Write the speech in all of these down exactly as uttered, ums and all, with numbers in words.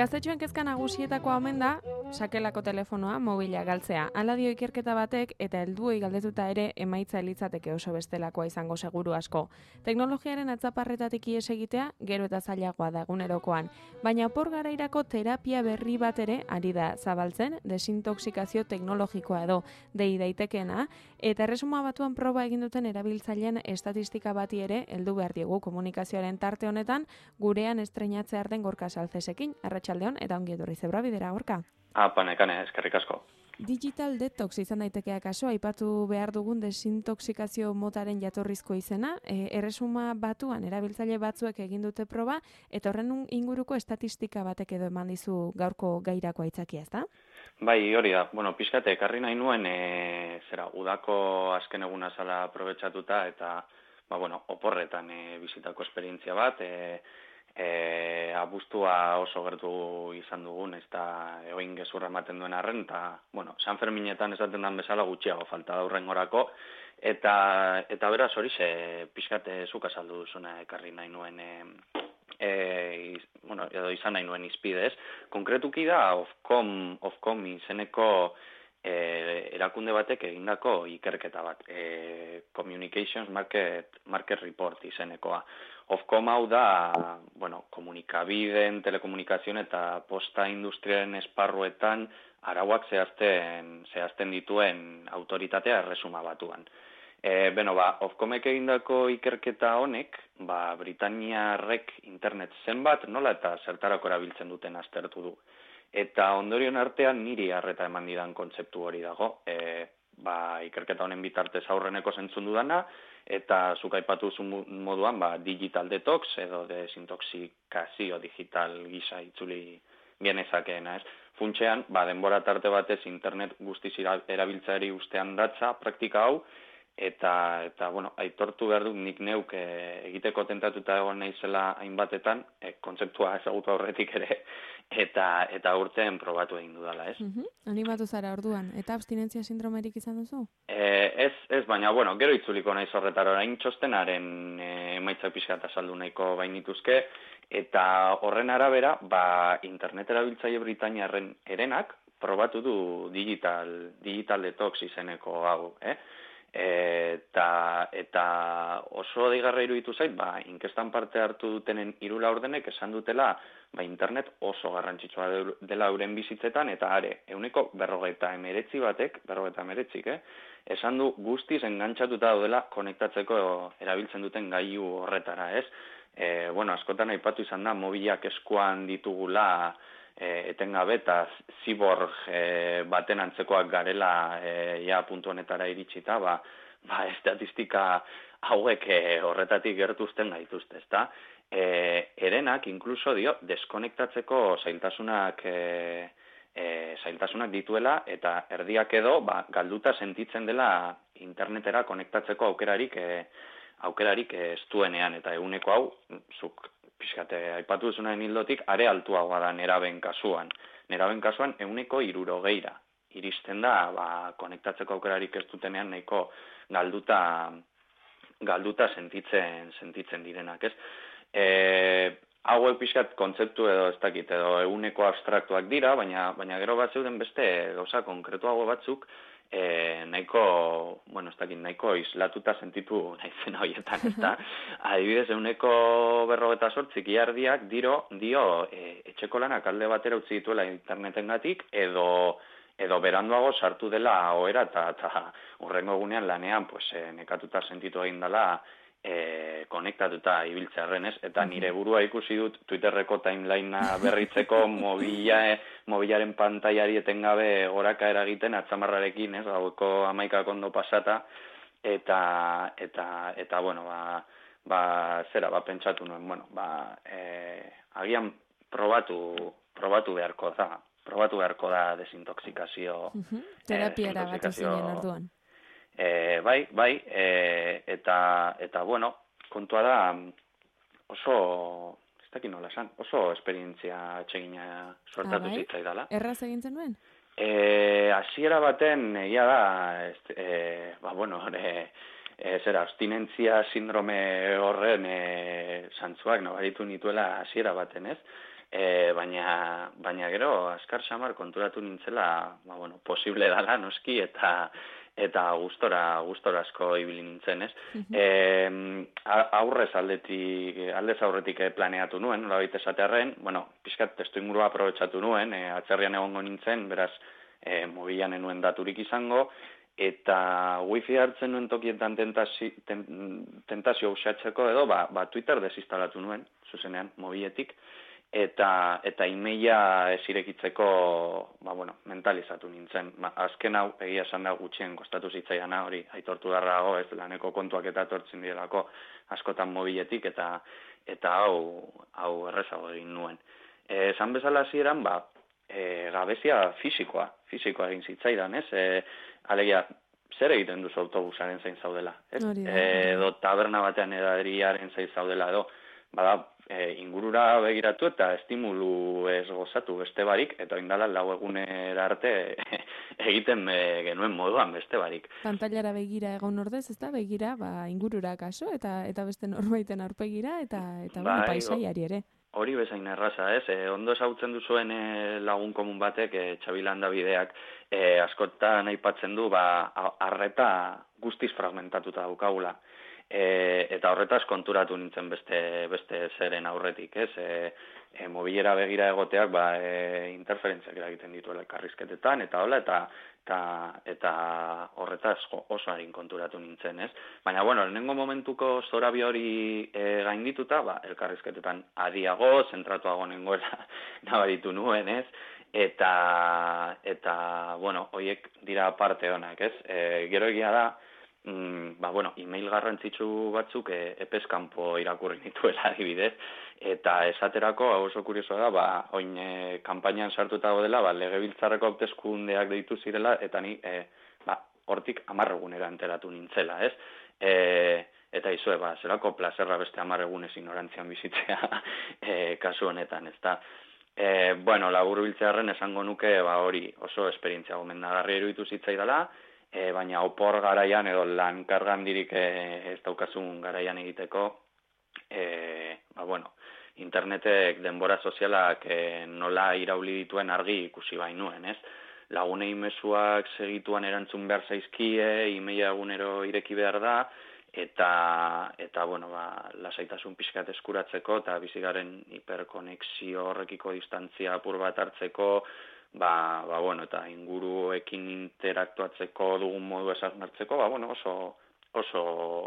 Gaztetxoen kezka nagusietakoa omen da, sakelako telefonoa, mobila galtzea. Hala dio ikerketa batek eta helduei galdetuta ere emaitza elitzateke oso bestelakoa izango seguru asko. Teknologiaren atzaparretatik ihes egitea gero eta zailagoa da egunerokoan, baina opor garairako terapia berri bat ere ari da zabaltzen, desintoxikazio teknologikoa edo dei daitekeena, eta Erresuma Batuan proba egin duten erabiltzaileen estatistika bati ere heldu behar diegu komunikazioaren tarte honetan gurean estreinatzear den Gorka Salcesekin. Arratsaldeon eta ongi etorri Zebra Bidera, Gorka. Apa, nekane, eskerrik asko. Digital detox izan daiteke akaso, aipatu behar dugun desintoxikazio motaren jatorrizko izena, e, Erresuma Batuan erabiltzaile batzuek egin dute proba, eta horren inguruko estatistika batek edo eman dizu gaurko gairako aitzakia, ezta? Bai, hori da. Bueno, pixkate, ekarri nahi nuen, e, zera, udako azken eguna zala aprobetxatuta, eta, ba, bueno, oporretan e, bizitako esperientzia bat, e, E, abuztua oso gertu izan dugun, ez da eoin gezurra ematen duen arren, eta, bueno, San Ferminetan esaten dan bezala gutxiago falta da hurrengorako, eta, eta beraz hori ze pixkate zuk azaldu duzuna ekarri nahi nuen, e, e, iz, bueno, edo izan nahi nuen izpidez. Konkretuki da, Ofcom, Ofcom izeneko e, erakunde batek egindako ikerketa bat, e, Communications Market, Market Report izenekoa. Ofcom hau da, bueno, komunikabideen, telekomunikazioen eta posta industriaren esparruetan arauak zehazten, zehazten dituen autoritatea Erresuma Batuan. E, beno, ba, Ofcomek egindako ikerketa honek, ba, Britaniarrek internet zenbat, nola eta zertarako erabiltzen duten aztertu du. Eta ondorion artean niri harreta eman didan kontzeptu hori dago. E, ba, ikerketa honen bitartez aurreneko zentzun dudana, eta zuk aipatu moduan, ba, digital detox edo desintoxikazio digital gisa itzuli genezakeena, ez? Funtxean, ba, denbora tarte batez internet guztiz erabiltzaeri ustean datza praktika hau, eta, eta bueno, aitortu behar dut nik neuk e, egiteko tentatuta egon naizela hainbatetan, e, kontzeptua ezagutu aurretik ere, eta eta urtean probatu egin dudala, ez? Uh-huh. Animatu zara orduan, eta abstinentzia sindromerik izan duzu? E, ez, ez, baina, bueno, gero itzuliko naiz horretara orain txostenaren e, emaitzak pixkat azaldu nahiko bainituzke, eta horren arabera, ba, internet erabiltzaile Britaniarren erenak probatu du digital, digital detox izeneko hau, eh? Eta, eta oso deigarra iruditu zait, ba, inkestan parte hartu dutenen hiru laurdenek esan dutela, ba, internet oso garrantzitsua dela euren bizitzetan, eta are, ehuneko berrogeita emeretzi batek, berrogeita emeretzik, eh? esan du guztiz engantzatuta daudela konektatzeko erabiltzen duten gailu horretara, ez? E, bueno, askotan aipatu izan da, mobilak eskuan ditugula, E, etengabe eta ziborg e, baten antzekoak garela e, ja puntu honetara iritsita, ba, ba estatistika hauek e, horretatik gertuzten gaituzte, ezta? E, erenak inkluso dio deskonektatzeko zailtasunak e, e, zailtasunak dituela eta erdiak edo ba, galduta sentitzen dela internetera konektatzeko aukerarik e, aukerarik ez duenean, eta eguneko hau zuk pixkate, aipatu duzunaren hildotik, are altuagoa da neraben kasuan. Neraben kasuan, euneko hirurogeira. Iristen da, ba, konektatzeko aukerarik ez dutenean nahiko galduta, galduta sentitzen, sentitzen direnak, ez? E, hauek pixkat kontzeptu edo ez dakit, edo euneko abstraktuak dira, baina, baina gero bat zeuden beste gauza konkretuago batzuk, E, nahiko, bueno, ez dakit, nahiko islatuta sentitu naizen horietan, ez da? Adibidez, euneko berrogeta sortzik iardiak diro, dio e, etxeko lanak alde batera utzi dituela internetengatik, edo edo beranduago sartu dela ohera, eta eta hurrengo egunean lanean pues, e, nekatuta sentitu egin dela e, konektatuta ibiltzearren, ez? Eta nire burua ikusi dut Twitterreko timelinea berritzeko mobila, mobilaren pantailari etengabe goraka eragiten atzamarrarekin, ez? Gaueko hamaikak ondo pasata, eta, eta, eta bueno, ba, ba, zera, ba, pentsatu nuen, bueno, ba, e, agian probatu, probatu beharko da, probatu beharko da desintoxikazio. Uh-huh. Terapiara bat zinen orduan. E, bai, bai, e, eta, eta bueno, kontua da, oso, ez dakit nola esan, oso esperientzia atsegina sortatu ah, bai? zitzaidala. Erraz egin zenuen? E, hasiera baten, egia da, ez, e, ba, bueno, e, e, zera, abstinentzia sindrome horren e, zantzuak nabaritu nituela hasiera baten, ez? E, baina, baina gero, azkar samar konturatu nintzela, ba, bueno, posible dala, noski, eta eta gustora, gustora asko ibili nintzen, ez? E, aurrez aldetik, aldez aurretik planeatu nuen, nolabait esatearren, bueno, pixkat testu ingurua aprobetxatu nuen, e, atzerrian egongo nintzen, beraz, e, mobilan enuen daturik izango, eta wifi hartzen nuen tokietan tentazio, ten, tentazio usatzeko edo, ba, ba Twitter desinstalatu nuen, zuzenean, mobiletik, eta eta emaila ez irekitzeko, ba, bueno, mentalizatu nintzen. Ba, azken hau, egia esan da gutxien kostatu zitzaidana, hori aitortu darrago, ez laneko kontuak eta etortzen direlako askotan mobiletik, eta eta hau hau errezago egin nuen. Eh, esan bezala hasieran, ba, e, gabezia fisikoa, fisikoa egin zitzaidan, ez? E, alegia, zer egiten duzu autobusaren zain zaudela, ez? E, edo taberna batean edariaren zain zaudela, edo, bada, E, ingurura begiratu eta estimulu ez gozatu beste barik, eta indala lau egunera arte egiten e, genuen moduan beste barik. Pantailara begira egon ordez, ez da, begira, ba, ingurura kaso, eta eta beste norbaiten aurpegira, eta, eta bai, bueno, paisaiari ere. Hori bezain erraza, ez? E, ondo esautzen duzuen e, lagun komun batek, e, Txabilanda bideak, e, askotan aipatzen du, ba, arreta guztiz fragmentatuta daukagula. E, eta horretaz konturatu nintzen beste beste zeren aurretik, ez? E, e, mobilera begira egoteak ba e, interferentziak eragiten dituela elkarrizketetan eta hola eta eta eta horretaz oso harin konturatu nintzen, ez? Baina bueno, lehenengo momentuko zorabi hori e, gaindituta, ba elkarrizketetan adiago, zentratuago nengoela nabaritu nuen, ez? Eta eta bueno, hoiek dira parte onak, ez? E, gero egia da Mm, ba, bueno, email garrantzitsu batzuk e, epeskanpo irakurri nituela adibidez, eta esaterako, hau oso kurioso da, ba, oin e, kanpainan sartuta dela, ba, legebiltzarreko hauteskundeak deitu zirela, eta ni, e, ba, hortik amarregunera enteratu nintzela, ez? E, eta izue, ba, zerako plazerra beste amarregunez ignorantzian bizitzea e, kasu honetan, ez da? E, bueno, labur biltzearen esango nuke, ba, hori oso esperientzia gomendagarria iruditu zitzaidala, E, baina opor garaian edo lan kargandirik e, ez daukazun garaian egiteko, e, ba, bueno, internetek denbora sozialak e, nola irauli dituen argi ikusi bainuen, ez? Lagunei mezuak segituan erantzun behar zaizkie, emaila egunero ireki behar da, eta, eta bueno, ba, lasaitasun pixkat eskuratzeko, eta bizigaren hiperkonexio horrekiko distantzia apur bat hartzeko, Ba, ba, bueno, eta inguruekin interaktuatzeko dugun modu esarnartzeko, ba, bueno, oso, oso,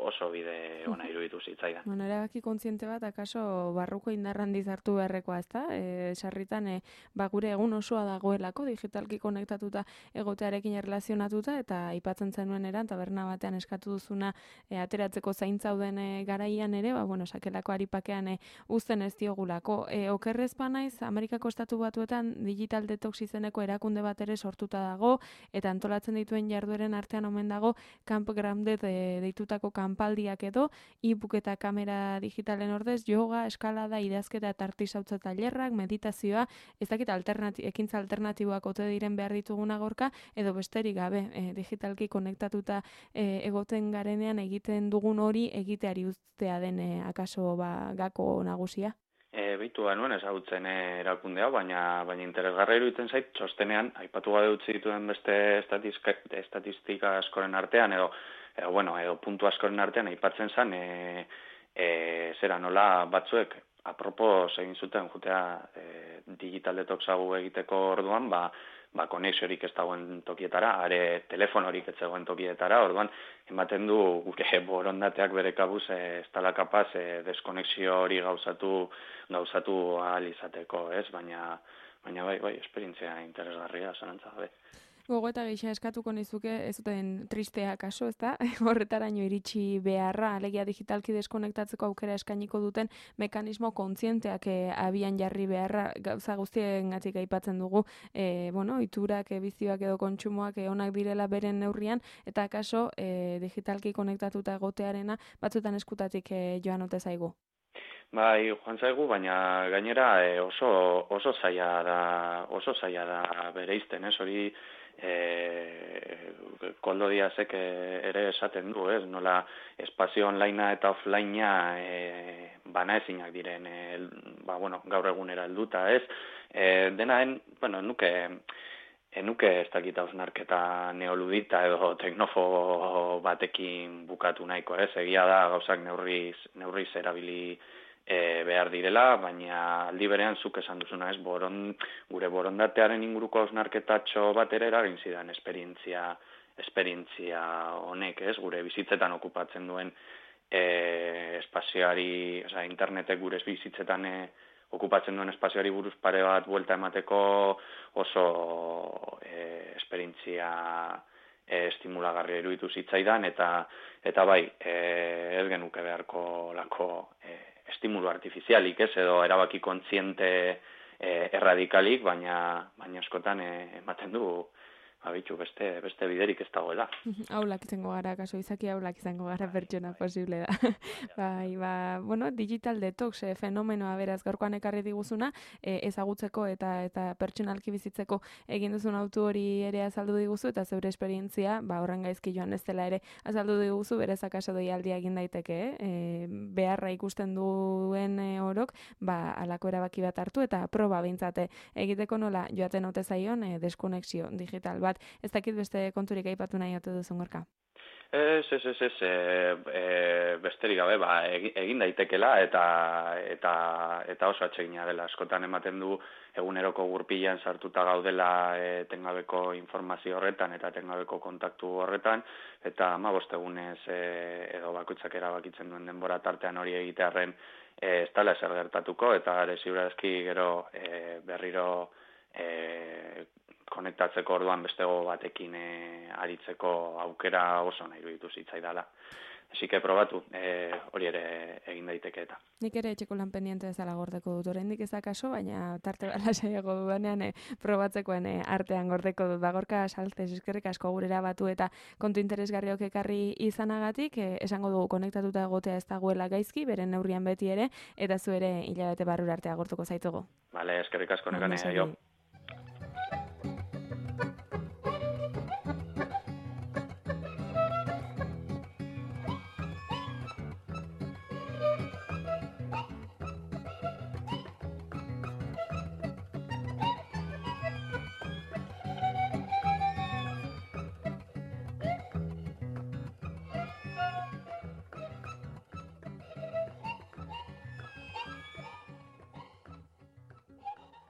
oso bide ona iruditu zitzaidan. Bueno, erabaki kontziente bat, akaso barruko indarrandiz hartu beharrekoa, ez da? E, sarritan, e, ba, gure egun osoa dagoelako, digitalki konektatuta egotearekin erlazionatuta, eta aipatzen zenuen eran, taberna batean eskatu duzuna e, ateratzeko zaintzauden e, garaian ere, ba, bueno, sakelako aripakean e, uzten ez diogulako. E, okerrez naiz, Amerikako Estatu Batuetan digital detox izeneko erakunde bat ere sortuta dago, eta antolatzen dituen jardueren artean omen dago, Camp Grounded e, deitutako kanpaldiak edo, e-book eta kamera digitalen ordez, yoga, eskalada, idazketa eta artisautza tailerrak, meditazioa, ez dakit alternati, ekintza alternatiboak ote diren behar dituguna gorka, edo besterik gabe, e, digitalki konektatuta e, egoten garenean egiten dugun hori egiteari uztea den e, akaso ba, gako nagusia? E, Beitu banuen ezagutzen e, erakundea, baina baina interesgarra iruditzen zait, txostenean, aipatu gabe utzi dituen beste estatistika, estatistika askoren artean, edo edo, bueno, edo puntu askoren artean aipatzen zen, e, e, zera nola batzuek apropos egin zuten jutea e, digital detoxagu egiteko orduan, ba, ba konexiorik ez dagoen tokietara, are telefonorik ez dagoen tokietara, orduan ematen du gure borondateak bere kabuz e, ez dela kapaz e, deskonexio hori gauzatu gauzatu ahal izateko, ez? Baina baina bai, bai, esperientzia interesgarria zanantza gabe. Gogoeta gisa eskatuko nizuke, ez duten tristea kaso, ez da? Horretaraino iritsi beharra, alegia digitalki deskonektatzeko aukera eskainiko duten mekanismo kontzienteak e, abian jarri beharra, gauza guztien gatik aipatzen dugu, e, bueno, iturak, e, bizioak edo kontsumoak e, onak direla beren neurrian, eta kaso e, digitalki konektatuta egotearena batzutan eskutatik e, joan ote zaigu. Bai, joan zaigu, baina gainera e, oso oso zaila da, oso zaila da bereizten, ez? Hori e, Koldo Diazek ere esaten du, ez? Nola espazio onlinea eta offlinea e, bana ezinak diren, e, ba, bueno, gaur egunera helduta, ez? E, denaen, bueno, nuke enuke ez dakit hausnarketa neoludita edo teknofobo batekin bukatu nahiko, ez? Egia da gauzak neurriz, neurriz erabili e, behar direla, baina aldi berean zuk esan duzuna, ez? Boron, gure borondatearen inguruko hausnarketatxo bat ere eragin zidan esperientzia, esperientzia honek, ez? Gure bizitzetan okupatzen duen e, espazioari, oza, internetek gure bizitzetan e, okupatzen duen espazioari buruz pare bat buelta emateko oso e, esperientzia e, estimulagarria iruditu zitzaidan, eta eta bai, e, ez genuke beharko lako e, estimulu artifizialik, ez, edo erabaki kontziente e, erradikalik, baina baina askotan e, ematen du abitu beste beste biderik ez dagoela. Aulak izango gara, kaso izaki aulak izango gara pertsona posible da. Bai, ba, bueno, digital detox e, fenomenoa beraz gaurkoan ekarri diguzuna, e, ezagutzeko eta eta pertsonalki bizitzeko egin duzun autu hori ere azaldu diguzu, eta zeure esperientzia, ba, horren gaizki joan ez dela ere azaldu diguzu, berez akaso deialdia egin daiteke, e, beharra ikusten duen e, orok, ba, alako erabaki bat hartu, eta proba behintzate egiteko nola joaten ote zaion e, deskonexio digital bat. Ez dakit beste konturik aipatu nahi ote duzun Gorka? Ez, ez, ez, ez, e, e, besterik gabe, ba, egin daitekela eta eta eta oso atsegina dela. Askotan ematen du eguneroko gurpilean sartuta gaudela etengabeko informazio horretan eta etengabeko kontaktu horretan, eta hamabost egunez e, edo bakoitzak erabakitzen duen denbora tartean hori egitearren e, ez dela ezer gertatuko, eta ere ziurazki gero e, berriro e, konektatzeko orduan bestego batekin e, aritzeko aukera oso nahi iruditu zitzaidala. Así que probatu, e, hori ere egin daiteke eta. Nik ere etxeko lan pendiente bezala gordeko dut, oraindik ez akaso, baina tarte bala saiago dudanean e, probatzekoen e, artean gordeko dut. Bagorka saltez, eskerrik asko gurera batu eta kontu interesgarriok ekarri izanagatik, e, esango dugu konektatuta egotea ez dagoela gaizki, beren neurrian beti ere, eta zu ere hilabete barrura arte agortuko zaitugu. Vale, eskerrik asko nekane, jo.